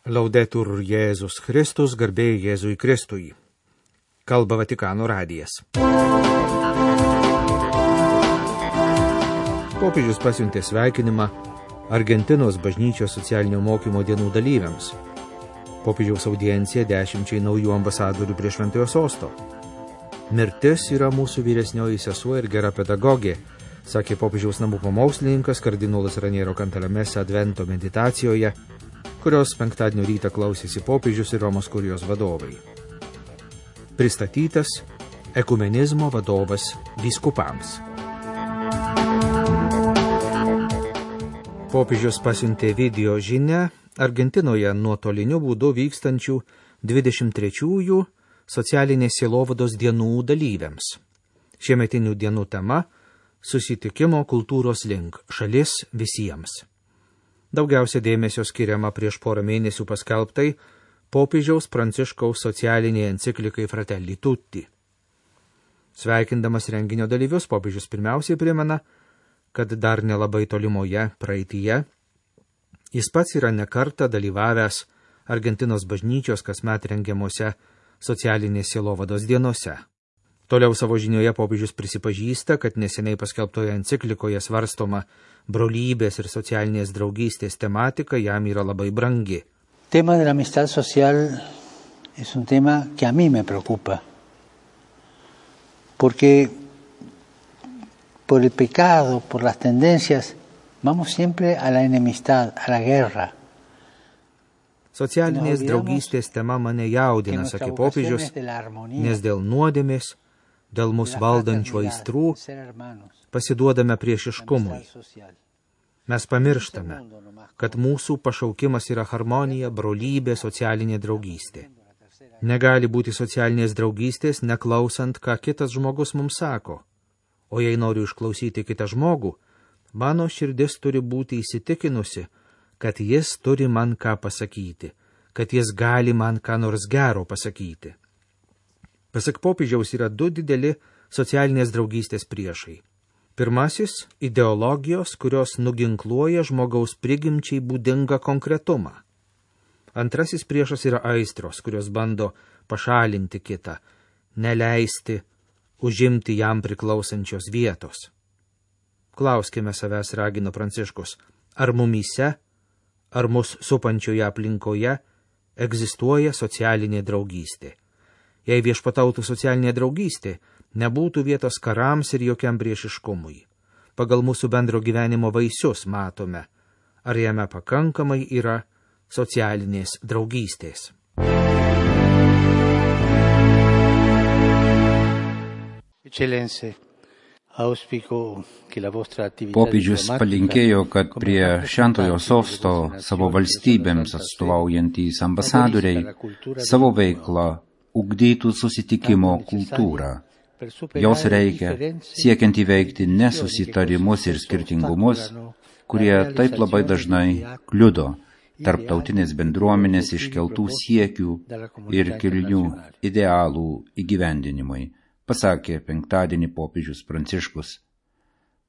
Laudetur Jėzus Kristus, garbė Jėzui Kristui. Kalba Vatikano radijas. Popiežius pasiuntė sveikinimą Argentinos bažnyčios socialinio mokymo dienų dalyviams. Popiežiaus audiencija 10 naujų ambasadorių prie Šventojo sosto. Mirtis yra mūsų vyresnioji sesuo ir gera pedagogė, sakė popiežiaus namų pamokslininkas kardinolas Raniero Cantalamessa Advento meditacijoje, kurios penktadienio rytą klausėsi popiežius ir Romos kurijos vadovai. Pristatytas ekumenizmo vadovas vyskupams. Popiežius pasiuntė video žinią Argentinoje nuotoliniu būdu vykstančių 23-ųjų socialinės sielovados dienų dalyviams. Šiemetinių dienų tema – susitikimo kultūros link, šalis visiems. Daugiausia dėmesio skiriama prieš porą mėnesių paskelbtai popiežiaus Pranciškaus socialiniai enciklikai Fratelli Tutti. Sveikindamas renginio dalyvius, popiežius pirmiausiai primena, kad dar nelabai tolimoje praeityje jis pats yra nekartą dalyvavęs Argentinos bažnyčios kasmet rengiamuose socialinės sielovados dienose. Toliau savo žinioje popiežius prisipažįsta, kad neseniai paskelbtoje enciklikoje svarstoma brolybės ir socialinės draugystės tematika jam yra labai brangi. Tema de la amistad social es un tema que a mí me preocupa. Porque por el pecado, por las tendencias, vamos siempre a la enemistad, a la guerra. Socialinės draugystės tema mane jaudina, sakė popiežius, nes dėl nuodėmės, dėl mūsų valdančių aistrų pasiduodame priešiškumui. Mes pamirštame, kad mūsų pašaukimas yra harmonija, brolybė, socialinė draugystė. Negali būti socialinės draugystės, neklausant, ką kitas žmogus mums sako. O jei noriu išklausyti kitą žmogų, mano širdis turi būti įsitikinusi, kad jis turi man ką pasakyti, kad jis gali man ką nors gero pasakyti. Pasak popiežiaus yra du dideli socialinės draugystės priešai. Pirmasis – ideologijos, kurios nuginkluoja žmogaus prigimčiai būdingą konkretumą. Antrasis priešas yra aistros, kurios bando pašalinti kitą, neleisti užimti jam priklausančios vietos. Klauskime savęs, ragino Pranciškus, ar mumyse, ar mus supančioje aplinkoje egzistuoja socialinė draugystė. Jei viešpatautų socialinė draugystė, nebūtų vietos karams ir jokiam priešiškumui. Pagal mūsų bendro gyvenimo vaisius matome, ar jame pakankamai yra socialinės draugystės. Popiežius palinkėjo, kad prie Šventojo sosto savo valstybėms atstovaujantys ambasadoriai savo veiklą ugdytų susitikimo kultūrą. Jos reikia siekiant įveikti nesusitarimus ir skirtingumus, kurie taip labai dažnai kliudo tarptautinės bendruomenės iškeltų siekių ir kilnių idealų įgyvendinimui, pasakė penktadienį popiežius Pranciškus.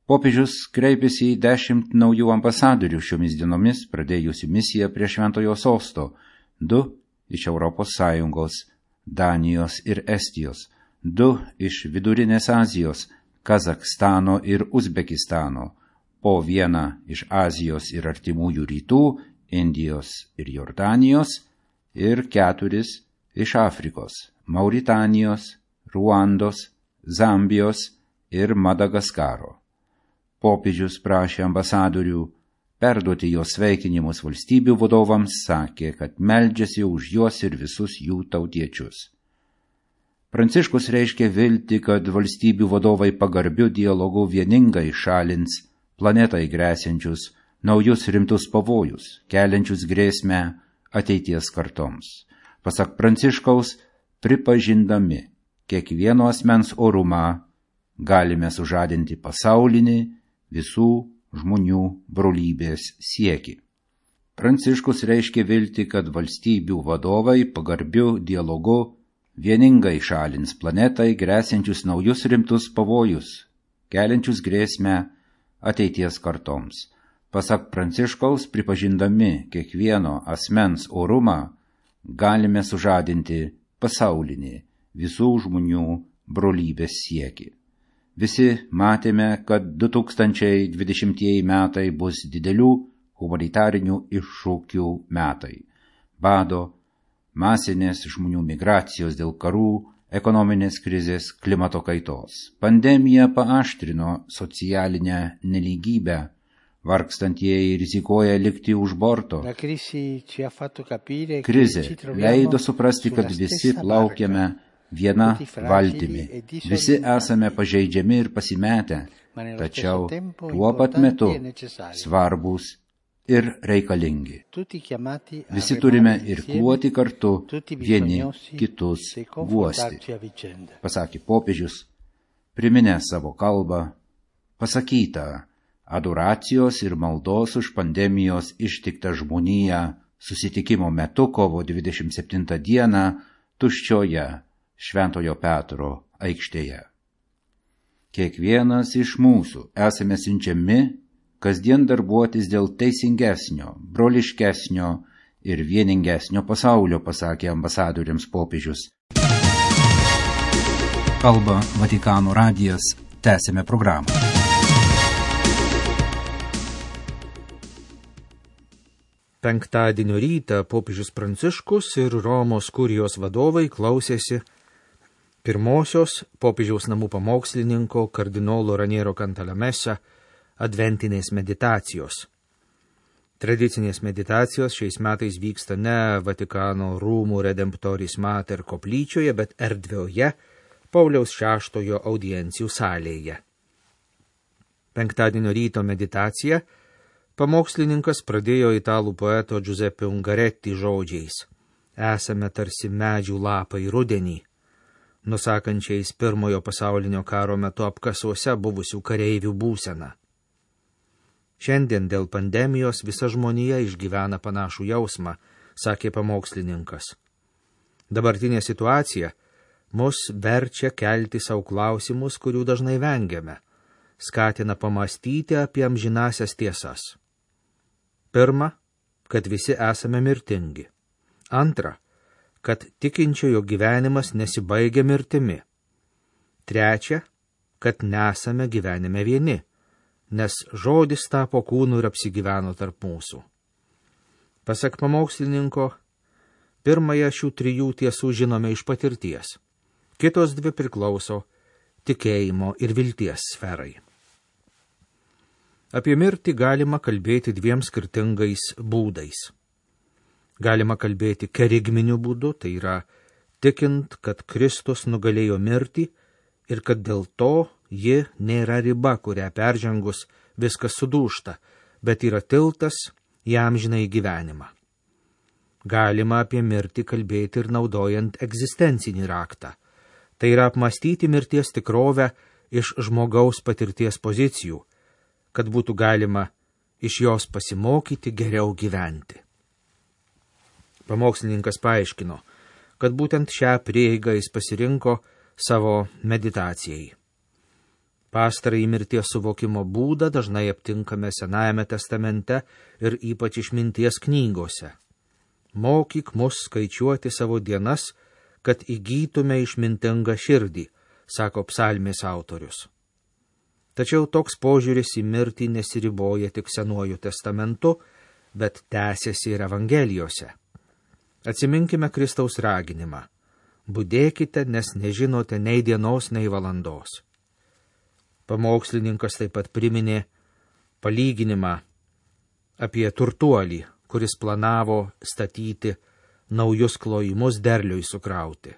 Popiežius kreipėsi į 10 naujų ambasadorių šiomis dienomis pradėjusių misiją prie Šventojo sosto, 2 iš ES, Danijos ir Estijos, 2 iš Vidurinės Azijos, Kazachstano ir Uzbekistano, po 1 iš Azijos ir Artimųjų rytų, Indijos ir Jordanijos, ir 4 iš Afrikos, Mauritanijos, Ruandos, Zambijos ir Madagaskaro. Popiežius prašė ambasadorių perduoti jos sveikinimus valstybių vadovams, sakė, kad meldžiasi už juos ir visus jų tautiečius. Pranciškus reiškia viltį, kad valstybių vadovai pagarbiu dialogu vieningai šalins planetai grėsiančius naujus rimtus pavojus, keliančius grėsmę ateities kartoms. Pasak Pranciškaus, pripažindami kiekvieno asmens orumą, galime sužadinti pasaulinį visų žmonių brolybės siekį. Pranciškus reiškia viltį, kad valstybių vadovai pagarbiu dialogu vieningai šalins planetai grėsiančius naujus rimtus pavojus, keliančius grėsmę ateities kartoms. Pasak Pranciškaus, pripažindami kiekvieno asmens orumą, galime sužadinti pasaulinį visų žmonių brolybės siekį. Visi matėme, kad 2020 metai bus didelių humanitarinių iššūkių metai. Bado, masinės žmonių migracijos dėl karų, ekonominės krizės, klimato kaitos. Pandemija paaštrino socialinę nelygybę, vargstantieji rizikuoja likti už borto. Krizė leido suprasti, kad visi plaukiame viena valtimi. Visi esame pažeidžiami ir pasimetę, tačiau tuo pat metu svarbūs ir reikalingi. Visi turime irkluoti kartu, vieni kitus guosti, pasakė popiežius, priminęs savo kalbą, pasakytą adoracijos ir maldos už pandemijos ištiktą žmoniją susitikimo metu kovo 27 dieną tuščioje Šventojo Petro aikštėje. Kiekvienas iš mūsų esame siunčiami kasdien darbuotis dėl teisingesnio, broliškesnio ir vieningesnio pasaulio, pasakė ambasadoriams popiežius. Kalba Vatikano radijas, tęsime programą. Penktadienio rytą popiežius Pranciškus ir Romos kurijos vadovai klausėsi pirmosios popiežiaus namų pamokslininko kardinolo Raniero Cantalamessa adventinės meditacijos. Tradicinės meditacijos šiais metais vyksta ne Vatikano rūmų Redemptoris Mater koplyčioje, bet erdvioje Pauliaus VI audiencijų salėje. Penktadienio ryto meditacija pamokslininkas pradėjo italų poeto Giuseppe Ungaretti žodžiais: esame tarsi medžių lapai rudenį, nusakančiais Pirmojo pasaulinio karo metu apkasuose buvusių kareivių būseną. Šiandien dėl pandemijos visa žmonija išgyvena panašų jausmą, sakė pamokslininkas. Dabartinė situacija mus verčia kelti savo klausimus, kurių dažnai vengiame, skatina pamastyti apie amžinasias tiesas. Pirma, kad visi esame mirtingi. Antra, kad tikinčiojo gyvenimas nesibaigia mirtimi. Trečia, kad nesame gyvenime vieni, nes žodis tapo kūnu ir apsigyveno tarp mūsų. Pasak pamokslininko, pirmąją šių trijų tiesų žinome iš patirties, kitos dvi priklauso tikėjimo ir vilties sferai. Apie mirtį galima kalbėti dviem skirtingais būdais. Galima kalbėti kerigminiu būdu, tai yra tikint, kad Kristus nugalėjo mirtį ir kad dėl to ji nėra riba, kurią peržengus viskas sudūžta, bet yra tiltas į amžinąjį gyvenimą. Galima apie mirtį kalbėti ir naudojant egzistencinį raktą, tai yra apmastyti mirties tikrovę iš žmogaus patirties pozicijų, kad būtų galima iš jos pasimokyti geriau gyventi. Pamokslininkas paaiškino, kad būtent šią prieigą jis pasirinko savo meditacijai. Pastarąjį mirties suvokimo būdą dažnai aptinkame Senajame testamente ir ypač išminties knygose. Mokyk mus skaičiuoti savo dienas, kad įgytume išmintingą širdį, sako psalmės autorius. Tačiau toks požiūris į mirtį nesiriboja tik Senuoju testamentu, bet tęsiasi ir Evangelijose. Atsiminkime Kristaus raginimą: budėkite, nes nežinote nei dienos, nei valandos. Pamokslininkas taip pat priminė palyginimą apie turtuolį, kuris planavo statyti naujus klojimus derliui sukrauti.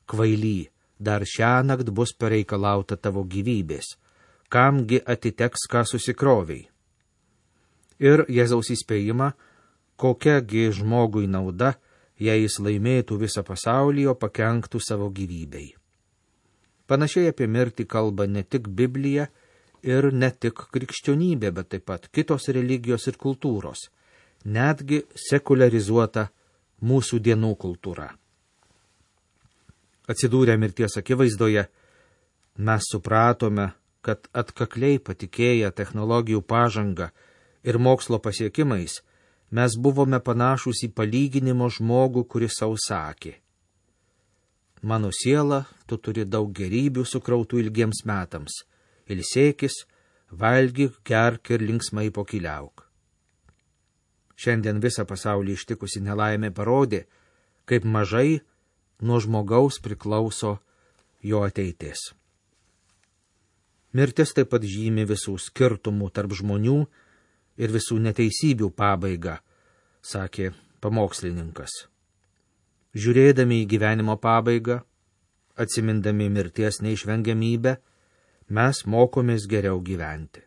Kvaily, dar šiąnakt bus pareikalauta tavo gyvybės, kamgi atiteks, ką susikroviai. Ir Jėzaus įspėjimą, kokiagi žmogui nauda, jei jis laimėtų visą pasaulį, o pakenktų savo gyvybei. Panašiai apie mirtį kalba ne tik Biblija ir ne tik krikščionybė, bet taip pat kitos religijos ir kultūros, netgi sekularizuota mūsų dienų kultūra. Atsidūrę mirties akivaizdoje, mes supratome, kad atkakliai patikėję technologijų pažangą ir mokslo pasiekimais mes buvome panašūs į palyginimo žmogų, kuris sau sakė: mano siela, tu turi daug gerybių sukrautų ilgiems metams, ilsėkis, valgyk, gerk ir linksmai pokyliauk. Šiandien visą pasaulį ištikusi nelaimė parodė, kaip mažai nuo žmogaus priklauso jo ateitis. Mirtis taip pat žymi visų skirtumų tarp žmonių ir visų neteisybių pabaigą, sakė pamokslininkas. Žiūrėdami į gyvenimo pabaigą, atsimindami mirties neišvengiamybę, mes mokomės geriau gyventi.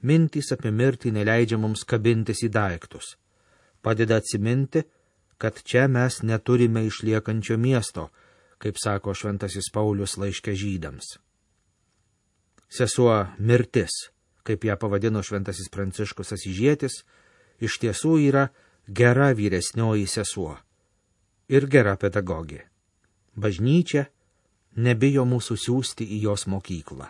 Mintys apie mirtį neleidžia mums kabintis į daiktus, padeda atsiminti, kad čia mes neturime išliekančio miesto, kaip sako šventasis Paulius laiške Žydams. Sesuo mirtis, kaip ją pavadino šventasis Pranciškus Asyžietis, iš tiesų yra gera vyresnioji sesuo ir gera pedagogė. Bažnyčia nebijo mūsų siųsti į jos mokyklą.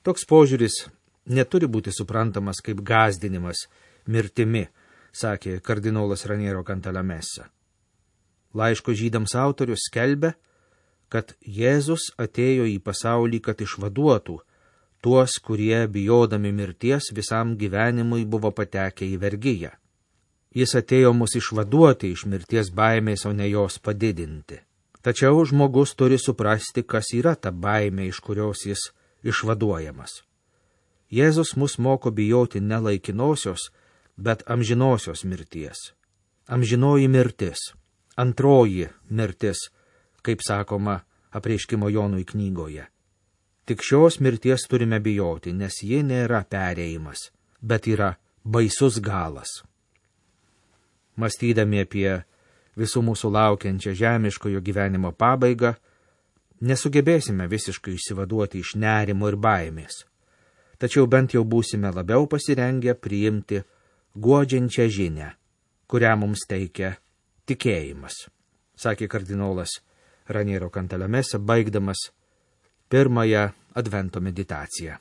Toks požiūris neturi būti suprantamas kaip gąsdinimas mirtimi, sakė kardinolas Raniero Cantalamessa. Laiško Žydams autorius skelbia, kad Jėzus atėjo į pasaulį, kad išvaduotų tuos, kurie bijodami mirties visam gyvenimui buvo patekę į vergiją. Jis atėjo mus išvaduoti iš mirties baimės, o ne jos padidinti. Tačiau žmogus turi suprasti, kas yra ta baimė, iš kurios jis išvaduojamas. Jėzus mus moko bijoti ne laikinosios, bet amžinosios mirties. Amžinoji mirtis, antroji mirtis, kaip sakoma Apreiškimo Jonui knygoje. Tik šios mirties turime bijoti, nes ji nėra perėjimas, bet yra baisus galas. Mąstydami apie visų mūsų laukiančią žemiškojo gyvenimo pabaigą, nesugebėsime visiškai išsivaduoti iš nerimo ir baimės, tačiau bent jau būsime labiau pasirengę priimti guodžiančią žinią, kurią mums teikia tikėjimas, sakė kardinolas Raniero Cantalamessa, baigdamas pirmąją advento meditaciją.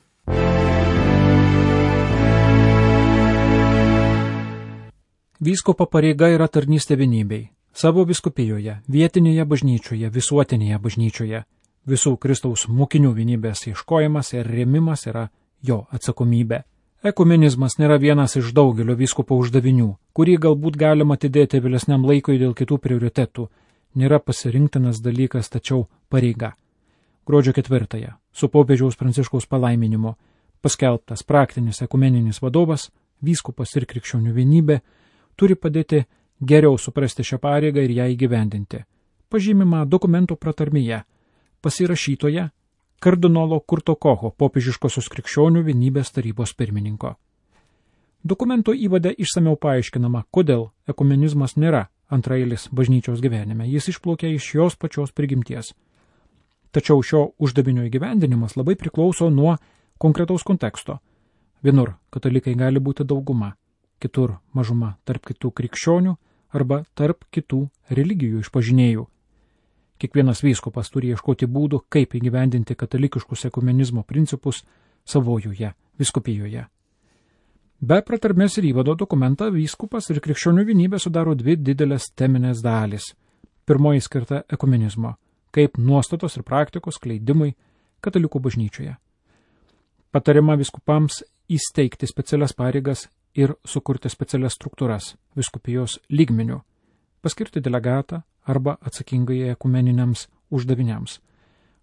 Vyskupo pareiga yra tarnystė vienybei. Savo vyskupijoje, vietinėje bažnyčioje, visuotinėje bažnyčioje visų Kristaus mokinių vienybės ieškojimas ir rėmimas yra jo atsakomybė. Ekumenizmas nėra vienas iš daugelio vyskupo uždavinių, kurį galbūt galima atidėti vėlesniam laikui dėl kitų prioritetų, nėra pasirinktinas dalykas, tačiau pareiga. Gruodžio 4 su popiežiaus Pranciškaus palaiminimu paskelbtas praktinis ekumeninis vadovas, vyskupas ir krikščionių vienybė turi padėti geriau suprasti šią pareigą ir ją įgyvendinti. Pažymima dokumentų pratarmėje, pasirašytoje kardinolo Kurto Kocho, popiežiškosios krikščionių vienybės tarybos pirmininko. Dokumento įvade išsamiau paaiškinama, kodėl ekumenizmas nėra antraeilis bažnyčios gyvenime, jis išplaukia iš jos pačios prigimties. Tačiau šio uždavinio įgyvendinimas labai priklauso nuo konkretaus konteksto. Vienur katalikai gali būti dauguma, kitur mažuma tarp kitų krikščionių arba tarp kitų religijų išpažinėjų. Kiekvienas vyskupas turi ieškoti būdų, kaip įgyvendinti katalikiškus ekumenizmo principus savojoje vyskupijoje. Be pratarmės ir įvado dokumentą vyskupas ir krikščionių vienybė sudaro dvi didelės teminės dalys. Pirmoji skirta ekumenizmo, kaip nuostatos ir praktikos skleidimui katalikų bažnyčioje. Patariama vyskupams įsteigti specialias pareigas ir sukurti specialias struktūras vyskupijos lygmeniu, paskirti delegatą arba atsakingai ekumeniniams uždaviniams,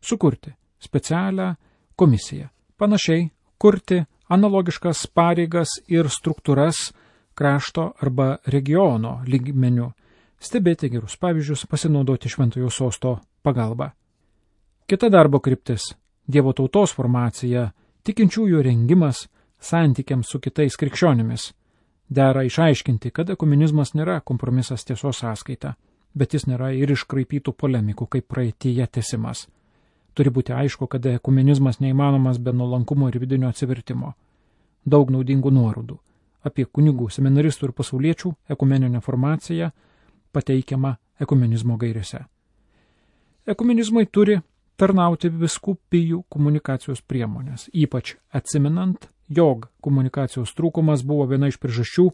sukurti specialią komisiją, panašiai kurti analogiškas pareigas ir struktūras krašto arba regiono lygmeniu, stebėti gerus pavyzdžius, pasinaudoti šventojo sosto pagalba. Kita darbo kryptis – Dievo tautos formacija, tikinčiųjų rengimas santykiams su kitais krikščionimis. Dera išaiškinti, kad ekumenizmas nėra kompromisas tiesos sąskaita, bet jis nėra ir iškraipytų polemikų kaip praeityje tęsimas. Turi būti aišku, kad ekumenizmas neįmanomas be nuolankumo ir vidinio atsivertimo. Daug naudingų nuorodų apie kunigų, seminaristų ir pasauliečių ekumeninę formaciją pateikiama ekumenizmo gairėse. Ekumenizmai turi tarnauti vyskupijų komunikacijos priemonės, ypač atsiminant jog komunikacijos trūkumas buvo viena iš priežasčių,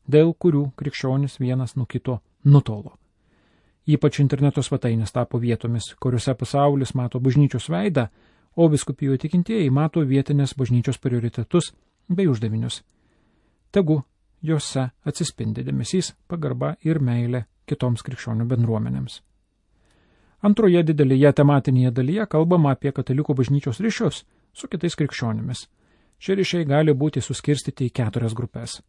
dėl kurių krikščionis vienas nuo kito nutolo. Ypač interneto svetainės tapo vietomis, kuriuose pasaulis mato bažnyčios veidą, o vyskupijų tikintieji mato vietinės bažnyčios prioritetus bei uždavinius. Tegu jose atsispindi dėmesys, pagarba ir meilė kitoms krikščionių bendruomenėms. Antroje didelėje tematinėje dalyje kalbama apie katalikų bažnyčios ryšius su kitais krikščionimis. Šie ryšiai gali būti suskirstyti į 4 grupės.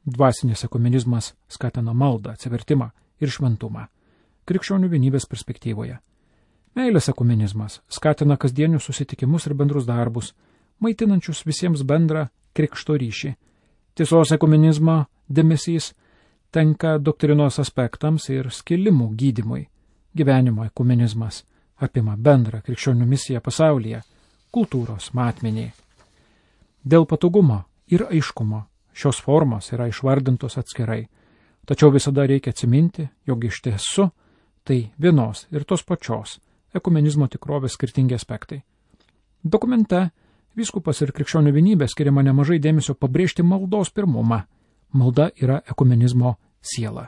Dvasinis ekumenizmas skatina maldą, atsivertimą ir šventumą krikščionių vienybės perspektyvoje. Meilės ekumenizmas skatina kasdienius susitikimus ir bendrus darbus, maitinančius visiems bendrą krikšto ryšį. Tiesos ekumenizmo dėmesys tenka doktrinos aspektams ir skilimų gydymui. Gyvenimo ekumenizmas apima bendrą krikščionių misiją pasaulyje, kultūros matmenį. Dėl patogumo ir aiškumo šios formos yra išvardintos atskirai, tačiau visada reikia atsiminti, jog iš tiesų tai vienos ir tos pačios ekumenizmo tikrovės skirtingi aspektai. Dokumente vyskupas ir krikščionių vienybė skiriama nemažai dėmesio pabrėžti maldos pirmumą. Malda yra ekumenizmo siela.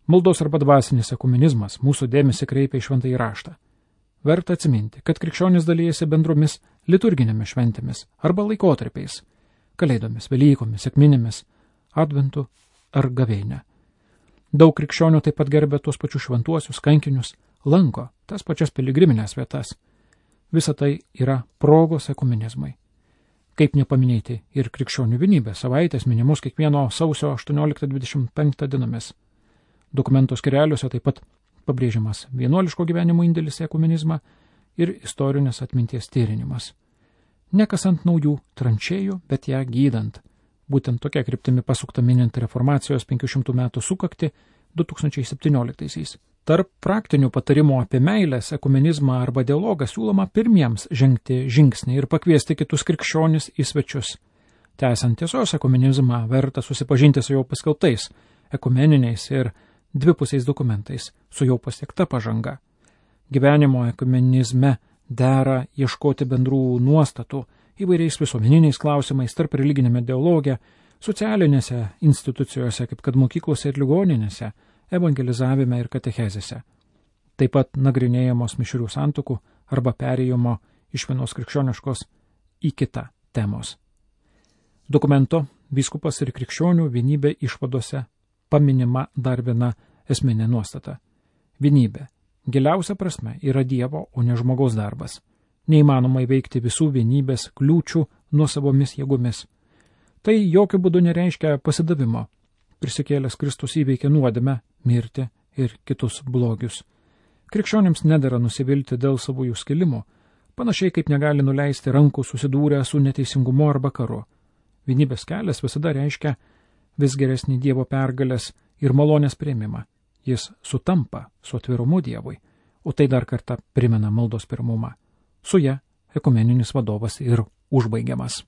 Maldos arba dvasinis ekumenizmas mūsų dėmesį kreipia į šventąjį raštą. Verta atsiminti, kad krikščionys dalyjasi bendromis liturginėmis šventėmis arba laikotarpiais, kalėdomis, velykomis, sekminėmis, adventu ar gavėnia. Daug krikščionių taip pat gerbia tuos pačius šventuosius kankinius, lanko tas pačias piligriminės vietas. Visa tai yra progos ekumenizmai. Kaip nepaminėti ir krikščionių vienybės savaitės minimos kiekvieno sausio 18-25 dienomis. Dokumento skyreliuose taip pat pabrėžiamas vienuoliško gyvenimo indėlis į ekumenizmą ir istorinės atminties tyrinimas. Nekasant naujų tranšėjų, bet ją gydant. Būtent tokia kryptimi pasukta minint reformacijos 500 metų sukakti 2017-aisiais. Tarp praktinių patarimų apie meilės, ekumenizmą arba dialogą siūloma pirmiems žengti žingsnį ir pakviesti kitus krikščionis į svečius. Tęsiant tiesos ekumenizmą verta susipažinti su jau paskelbtais ekumeniniais ir dvipusiais dokumentais, su jau pasiekta pažanga. Gyvenimo ekumenizme dera ieškoti bendrų nuostatų įvairiais visuomeniniais klausimais tarp religinėme dialoge, socialinėse institucijose, kaip kad mokyklose ir ligoninėse, evangelizavime ir katechezėse. Taip pat nagrinėjamos mišrių santuokų arba perėjimo iš vienos krikščioniškos į kitą temos. Dokumento vyskupas ir krikščionių vienybė išvadose paminima dar viena esminė nuostata. Vienybė, giliausia prasme, yra Dievo, o ne žmogaus darbas. Neįmanoma įveikti visų vienybės kliūčių nuosavomis jėgomis. Tai jokių būdų nereiškia pasidavimo. Prisikėlęs Kristus įveikė nuodėmę, mirtį ir kitus blogius. Krikščionims nedera nusivilti dėl savųjų skilimų, panašiai kaip negali nuleisti rankų susidūrę su neteisingumu arba karu. Vienybės kelias visada reiškia vis geresnį Dievo pergalės ir malonės priėmimą. Jis sutampa su atvirumu Dievui, o tai dar kartą primena maldos pirmumą. Su ja ekumeninis vadovas ir užbaigiamas.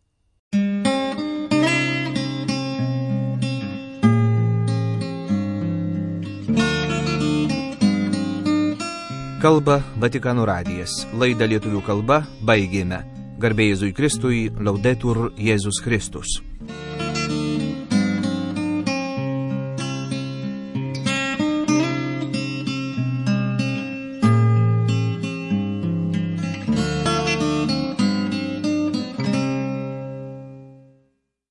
Kalba Vatikano radijas. Laidą lietuvių kalba baigėme. Garbė Jėzui Kristui, Laudetur Jėzus Kristus.